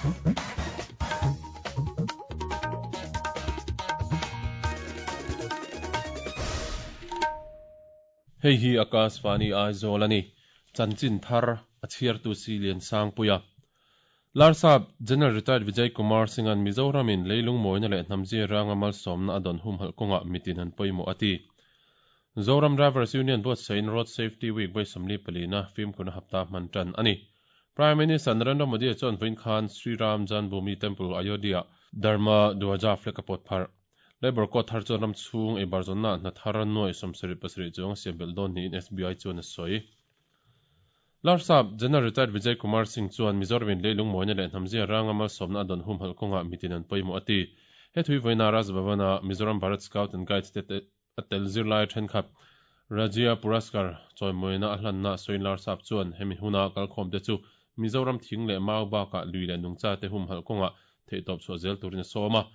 Hei hi Akashvani Aizawl a ni. Chanchin thar a chhiartu si Liansangpuia. Larsap General Retired Vijay Kumar Singh-a'n Mizoramin leilung mawina leh hnamzia ranga malsawmna a dawn humhalh kawngah mitin an pawimawh a ti. Zoram Drivers Union buatsaihin Road Safety Week vawi 44na fimkhurna hapta hman tan a ni. Prime Minister Narendra Modi chuan vawiin khan Sri Ram Janmbhoomi Temple, Ayodhya-ah Dharma Dwaja flag a pawt pharh. Labour Code thar chuan ram chhung ei bar zawnnaah hna thar nuai 77 chuang a siam belh dawn niin SBI chuan a sawi. Larsap General Retired Vijay Kumar Singh chuan Mizoramin leilung mawina leh hnamzia ranga malsawmna a dawn humhalh kawngah mitin an pawimawh a ti. He thui vawiina Raj Bhavan-a Mizoram Bharat Scout and Guides te a tel zirlai thenkhat Rajya Puraskar chawimawina a hlanna sawiin Larsap chuan hemi huna kalkhawmte chu Mizoram thing leh mau bakah lui leh nungchate humhalh kawngah theihtawp chhuah zel turin a sawm a.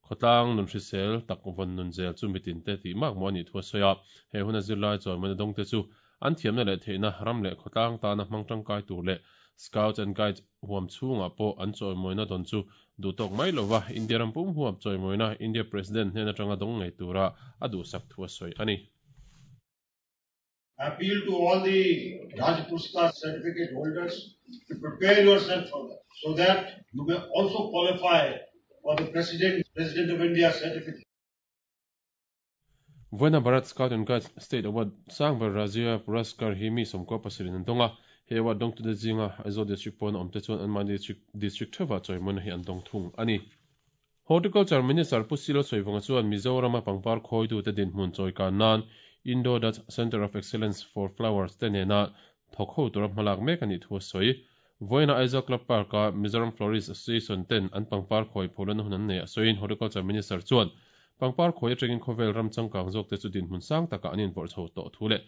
Khawtlang nun hrisel tak vawn nun zel chu mitin te tih mak maw a nih thu a sawi a. He huna zirlai chawimawina dawngte chu an thiamna leh theihna ram leh khawtlang tana hmang tangkai tur leh Scouts and Guides huam chhungah pawh an chawimawina dawn chu duhtawk mai lova India ram pum huap chawimawina India President hnen atanga dawng ngei tura a duhsak thu a sawi a ni. I appeal to all the Raj Puraskar certificate holders to prepare yourself for that so that you may also qualify for the President, President of India certificate. Vawiina Bharat Scout and Guides State Award sang ber Rajya Puraskar hi mi 17 in an dawng a, he award dawngtute zinga Aizawl District pawn a awmte chuan anmahni district district theuhah chawimawina hi an dawng thung a ni. Horticulture Minister Pu Silo Sawivawnga chuan Mizorama pangpar khawitute dinhmun chawikan nan Indo-Dutch Centre of Excellence for Flowers te nena thawk ho tura hmalak mek a nih thu a sawi. Vawiina Aizawl Club Park-a Mizoram Florist Association ten an pangpar khawi pholana hun an nei a sawiin Horticulture Minister chuan pangpar khawi atangin khawvel ram changkang zawkte chu dinhmun sang takah an invawrh chho tawh thu leh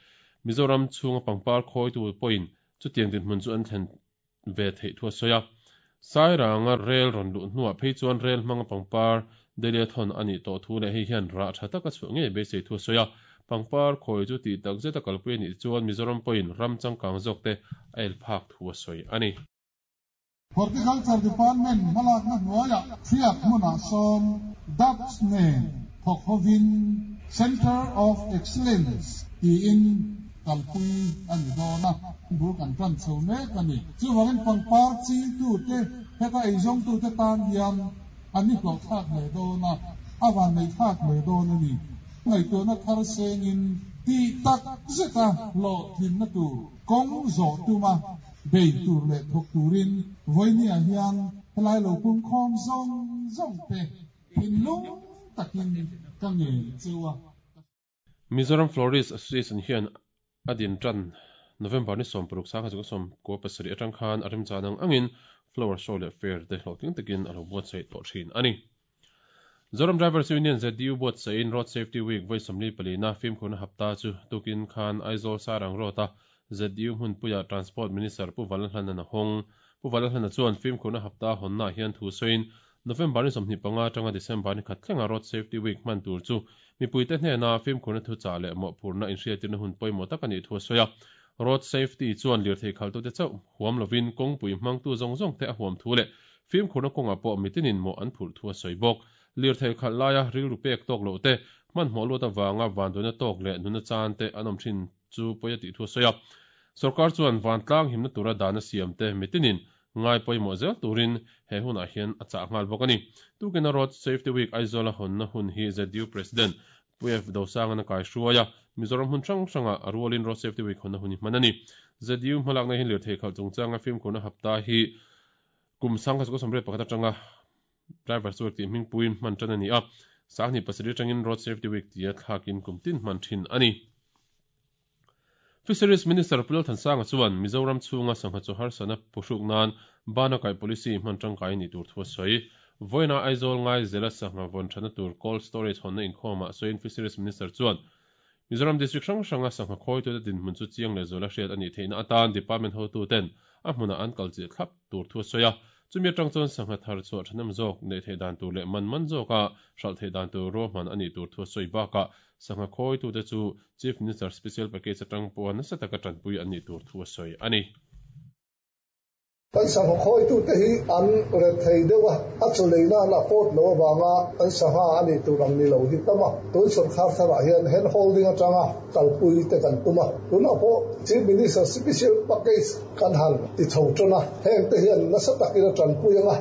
Mizoram chhunga pangpar khawitu pawhin chutiang dinhmun chu an thlen ve theih thu a sawi a. Sairanga rel rawn luh hnuah phei chuan rel hmanga pangpar Delhi-a thawn a nih tawh thu leh hei hian rah tha taka chhuah ngei beisei thu a sawi a. Pangpar khawi chu tih tak zeta kalpui a nih chuan Mizoram pawhin ram changkang zawkte a el phak thu a sawi a ni. Horticulture Department hmalakna hnuaiah hriat hmunah sawn Dutch nen thawk hovin Centre of Excellence tiin kalpui a ni dawn a, bul kan tan chho mek a ni. Chuvangin pangpar chingtute, heta eizawngtute tan hian a ni hlawhthlak hle dawn a, a vanneihthlak hle dawn a ni. Ngaihtuahna thar sengin tih tak zeta hlawhtlinna tur kawng zawh tuma bei tur leh thawk turin vawinia hian helai lo pumkhawm zawng zawng te thinlung takin ka ngen cheu a. Mizoram Florist Association hian a din tan November ni 16 sangha chu 17 atang khan a remchan ang angin Flower Show leh Fair te hlawhtling takin a lo buatsaih tawh thin a ni. Zoram Drivers Union ZDU buatsaihin Road Safety Week vawi 44na fimkhurna hapta chu tukin khan Aizawl Sairang Road-a ZDU hmunpuia Transport Minister Pu Vanlalhlana'n a hawng. Pu Vanlalhlana chuan fimkhurna hapta hawnnaah hian thu sawiin November ni 25 atanga December ni khat thlenga Road Safety Week hman tur chu mipuite hnena fimkhurna thuchah leh mawhphurhna inhriatirna hun pawimawh tak a nih thu a sawi a. Road Safety chuan lirthei khaltute chauh huam lovin kawngpui hmangtu zawng zawngte a huam thu leh fimkhurna kawngah pawh mitinin mawh an phurh thu a sawi bawk. Lirthei khalh laia rilru pek tawk loh te, hmanhmawh luat avanga vanduaina tawk leh nuna chan te an awm thin chu pawi a tih thu a sawi a. Sorkar chuan vantlang himna tura dan a siam te mitinin ngai pawimawh zel turin he hunah hian a chah nghal bawk a ni. Tukina Road Safety Week Aizawl a hawnna hun hi ZDU President Pu F Dosangana kai hruai a, Mizoram hmun hrang hrangah a rualin Road Safety Week hawnna hun hi hman a ni. ZDU hmalakna hian lirthei khalh chungchanga fimkhurna hapta hi kum 1981 atanga Drivers Week tih hmingpuiin hman tan a ni a, 2007 atangin Road Safety Week tia thlakin kum tin hman thin a ni. Fisheries Minister Pu Lalthansanga chuan Mizoram chhunga sangha chu harsatna phuhruk nan bana kaih policy hman tangkai a nih tur thu a sawi. Vawiina Aizawl ngai zela sangha vawn thatna tur cold storage hawnna inkhawmah sawiin Fisheries Minister chuan Mizoram District hrang hranga sangha khawitute dinhmun chu chiang leh zuala hriat a nih theihna atan Department hotuten a hmunah an kal chilh thlap tur thu a sawi a. Chumi atang chuan sangha thar chhuah thahnem zawk neih theih dan tur leh man man zawka hralh theih dan tur ruahman a nih tur thu a sawi bakah sangha khawitute chu Chief Minister Special Package atang pawha nasa taka tanpui an nih tur thu a sawi a ni. Kan sangha khawitute hi an rethei deuh a, a chaw lei nan a pawt loh avanga an sangha a nih tur ang ni lo hi tam a. Tun sawrkar tharah hian hand holding atanga kalpui te kan tum a. Tunah pawh Chief Minister Special Package kan han ti chho tan a, heng te hian nasa takin a tanpui ang a.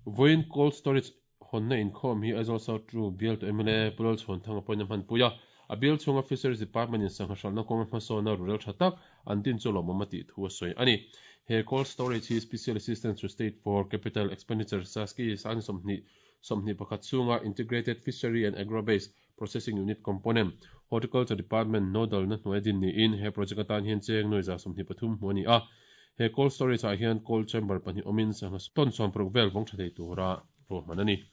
Vawiin Cold Storage hawnna inkhawm hi Aizawl South Ru bialtu mla Pu Lalchhuanthanga pawhin a hmanpui a. A bial chhunga Fisheries Department in sangha hralhna kawnga hmasawna rurel tha tak an din chu lawmawm a tih thu a sawi a ni. He Cold Storage hi Special Assistance to State for Capital Expenditure, SASCI, sangni 21 chhunga Integrated Fishery and Agro-Based Processing Unit Component, Horticulture Department nodal na hnuai din niin he project atan hian cheng nuai 23 hmu a ni a. He cold storage ah hian cold chamber pahnih awmin sangha ton 60 vel vawng tha thei tura ruahman a ni.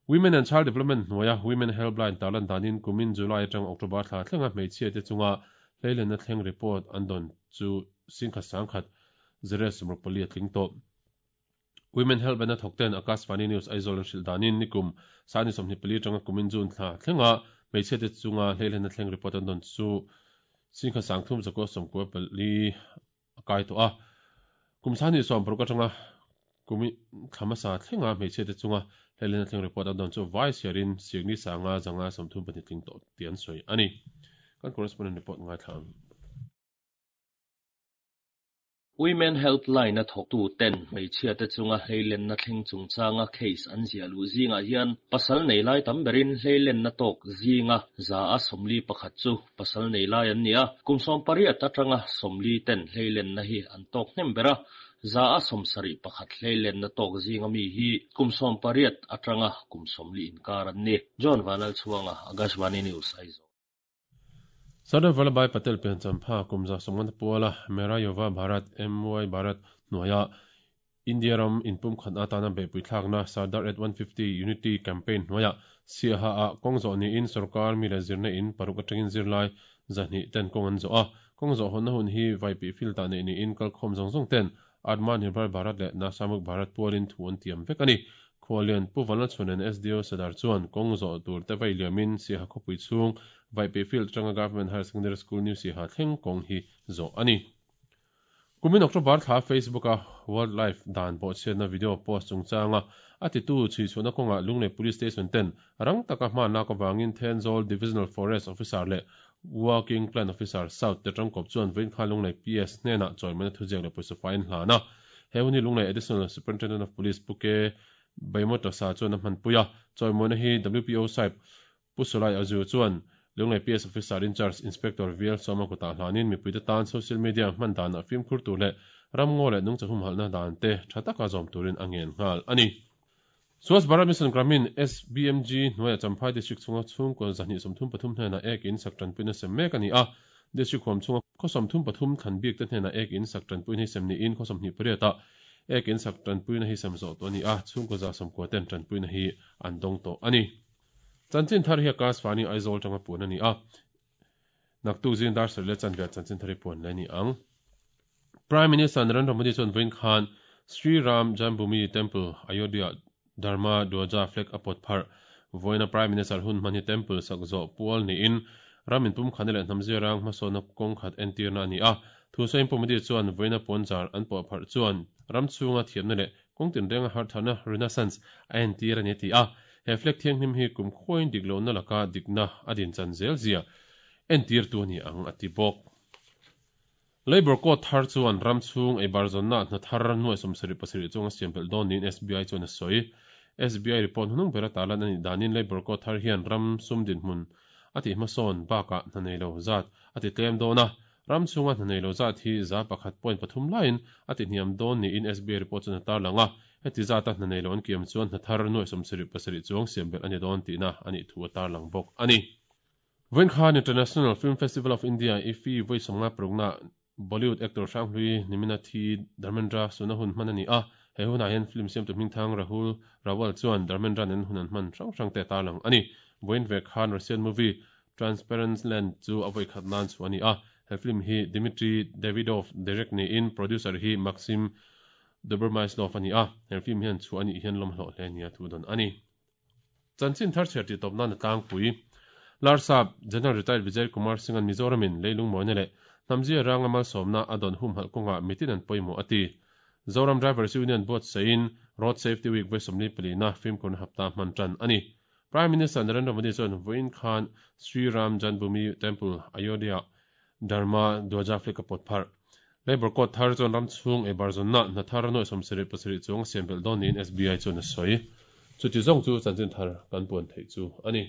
Women and Child Development hnuaia Women Helpline tarlan danin kumin July atang October thla thlenga hmeichhia te chunga hleilenna thleng report an dawn chu singkhat sangkhat zero 64 a tling tawh. Women Helpline a thawk ten Akashvani News Aizawl an hrilh danin nikum sani 24 atanga kumin June thla thlenga hmeichhia te chunga hleilenna thleng report an dawn chu singkhat sangthum zakua 94 a kai tawh a. Kum sani 60 atanga kumi thla hmasa thlenga hmeichhia te chunga hleilenna thleng report an dawn chu vai siarin sikni sanga zanga 32 tling tawh tih an sawi a ni. Kan correspondent report ngai thla ang. Women Helpline a thawktu ten hmeichhia te chunga hleilenna thleng chungchanga case an ziah luh zingah hian pasal nei lai tam berin hleilenna tawk zinga za a 41 chu pasal nei lai an ni a. Kum 18 atanga 40 ten hleilenna hi an tawk hnem ber a. Za a 71 hleilenna tawk zinga mi hi kum 18 atanga kum 40 inkar an ni. John Vanal Chuanga, Akashvani News, Aizawl. Sardar Vallabhbhai Patel pianchampha kum 150 puala Mera Yuva Bharat MY Bharat hnuaia India ram inpum khat atana beihpui thlakna Sardar at 150 Unity Campaign hnuaia Siaha ah kawng zawh niin sarkar mi leh zirna in paruk atangin zirlai 200 ten kawng an zawh a. Kawng zawh hawnna hun hi vaipi field ah nei niin kalkhawm zawng zawng ten Atma Nirbhar Bharat leh Nashamuk Bharat pualin thu an tiam vek a ni. Khuallian Pu Vanlalchhuanen SDO Sadar chuan kawng zawh tur te vai liamin Siaha khawpui chhung vaipi field atanga Government Higher Secondary School New Siaha thleng kawng hi zawh a ni. Kumin October thla Facebook a Wildlife dan bawhchhiatna video post chungchanga a titu chhuichhuahna kawngah Lunglei Police Station ten rang taka hma lak avangin Thenzawl Divisional Forest Officer leh Working Plan Officer South te tangkawp chuan vawiin kha Lunglei PS hnenah chawimawina thuziak leh pawisa faiin hlan a. He hun hi Lunglei Additional Superintendent of Police Pu K Baimawtasa chuan a hmanpui a. Chawimawina hi WPO Sahib Pu Sulai Azu chuan Lunglei PS Officer in Charge Inspector VL Sawma kutah hlanin mipuite tan social media hman danah fimkhur tur leh ramngaw leh nungcha humhalhna dan te tha taka zawm turin a ngen nghal a ni. Swachh Bharat Mission Gramin SBMG hnuaia Champhai District chhunga chhungkaw 233 hnenah ek in sak tanpuina sem mek a ni a. District huam chhunga khaw 33 thlan bik te hnenah ek in sak tanpuina hi sem niin khaw 28 ah ek in sak tanpuina hi sem zawh tawh a ni a. Chhungkaw 190 ten tanpuina hi an dawng tawh a ni. Chanchin thar hi Akashvani Aizawl tanga puan a ni a. Naktuk zing dar sarih leh chanve chanchin thar hi puan le ni ang. Prime Minister Narendra Modi chuan vawiin khan Sri Ram Janmabhoomi Temple Ayodhya Dharma Dwaja flag a pawt pharh. Vawiina Prime Minister hun hman hi temple sak zawh pual niin ram inpum khana leh hnam zirang hmasawna kawng khat entirna a ni a. Thu sawiin Pu Modi chuan vawiina puanzar an pawh pharh chuan ram chhunga thiamna leh kawng tinrenga harthana Renaissance a entir a ni a ti a. He flag thianghlim hi kum khuain dik lohna laka dikna a din chan zel zia entir tu a ni ang a ti bawk. Labour Code thar chuan ram chhung ei bar zawnna hna thar nuai 77 chunga siam belh dawn niin SBI chuan a sawi. SBI report hnung ber a tarlan a nih danin Labour Code thar hian ram sum dinhmun a tih hmasawn bakah hna nei lo zat a ti tlem dawn a. Ram chhunga hna nei lo zat hi 1.3 laiin a ti hniam dawn niin SBI report chuan a tarlang a. Heti zata hna nei lo an kiam chuan hna thar nuai 77 chuang siam belh a ni dawn tihna a nih thu a tarlang bawk a ni. Vawiin khan International Film Festival of India IFFI vawi 56na Bollywood actor Hranghlui Nimina Thi Dharmendra suna hun hman a ni a. He hunah hian film siamtu hmingthang Rahul Rawal chuan Dharmendra nen hun an hman hrang hrang te tarlang a ni. Vawiin ve khan Russian movie Transparent Land chu a vawi khat nan chu a ni a. He film hi Dmitry Davidov direct niin producer hi Maxim Dobromyslov a ni a. He film hian chu ani hian lawm hlawh hle nia thu dawn a ni. Chanchin thar chhiar tih tawp nan a tlangpui. Larsap General Retired Vijay Kumar Singh an Mizoramin leilung mawina leh Hnamzia ranga malsawmna a dawn humhalh kawngah mitin an pawimawh a ti. Zoram Drivers Union buatsaihin Road Safety Week vawi 44na fimkhurna hapta hman tan a ni. Prime Minister Narendra Modi chuan vawiin khan Sri Ram Janmabhoomi Temple, Ayodhya Dharma Dwaja flag a pawt pharh. Labour Code thar chuan ram chhung ei bar zawnna hna thar nuai 77 chuang a siam belh dawn niin SBI chuan a sawi. Chuti zawng chu chanchin thar kan puan theih chu a ni.